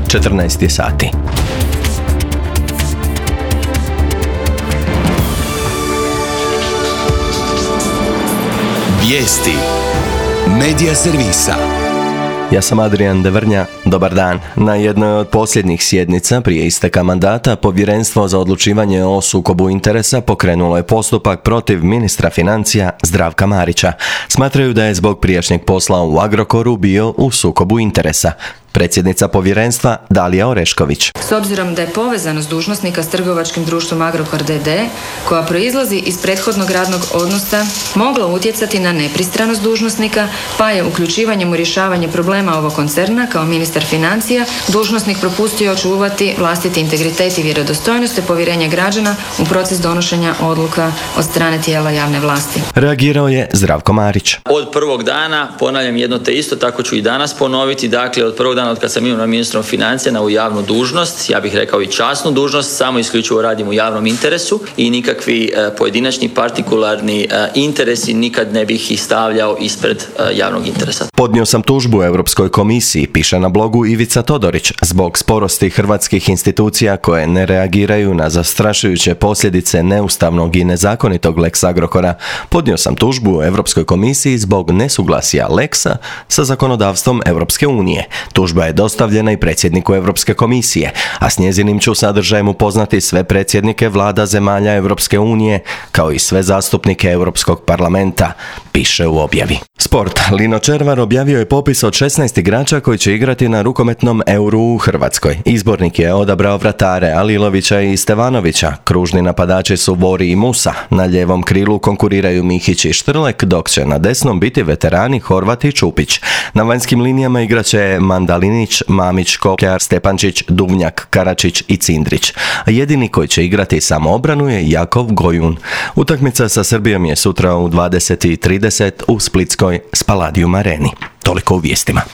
14 sati. Vijesti Medija servisa. Ja sam Adrian Devrnja, dobar dan. Na jednoj od posljednjih sjednica prije isteka mandata Povjerenstvo za odlučivanje o sukobu interesa pokrenulo je postupak protiv ministra financija Zdravka Marića. Smatraju da je zbog prijašnjeg posla u Agrokoru bio u sukobu interesa. Predsjednica povjerenstva Dalija Orešković. S obzirom da je povezanost dužnosnika s trgovačkim društvom Agrokor d.d. koja proizlazi iz prethodnog radnog odnosa mogla utjecati na nepristranost dužnosnika, pa je uključivanjem u rješavanje problema ovog koncerna kao ministar financija dužnosnik propustio očuvati vlastiti integritet i vjerodostojnost te povjerenje građana u proces donošenja odluka od strane tijela javne vlasti. Reagirao je Zdravko Marić. Od prvog dana, ponavljam jedno te isto, tako ću i danas ponoviti, dakle od prvog dana od kad sam imenovan ministrom financija na ovu javnu dužnost, ja bih rekao i časnu dužnost, samo isključivo radim u javnom interesu i nikakvi pojedinačni partikularni interesi nikad ne bih ih stavljao ispred javnog interesa. Podnio sam tužbu Europskoj komisiji, piše na blogu Ivica Todorić, zbog sporosti hrvatskih institucija koje ne reagiraju na zastrašujuće posljedice neustavnog i nezakonitog Lex Agrokora. Podnio sam tužbu Europskoj komisiji zbog nesuglasja Lexa sa zakonodavstvom Europske unije. Tužba je dostavljena i predsjedniku Europske komisije, a s njezinim ću sadržajem upoznati sve predsjednike vlada zemalja Europske unije, kao i sve zastupnike Europskog parlamenta, piše u objavi. Sport. Lino Červar objavio je popis od 16 igrača koji će igrati na rukometnom Euru u Hrvatskoj. Izbornik je odabrao vratare Alilovića i Stevanovića. Kružni napadači su Vori i Musa. Na lijevom krilu konkuriraju Mihić i Štrlek, dok će na desnom biti veterani Horvat i Čupić. Na vanjskim linijama igraće Mandalinić, Mamić, Kokljar, Stepančić, Duvnjak, Karačić i Cindrić. A jedini koji će igrati samoobranu je Jakov Gojun. Utakmica sa Srbijom je sutra u 20:30 u splitskoj Spaladium areni. Toliko u vijestima.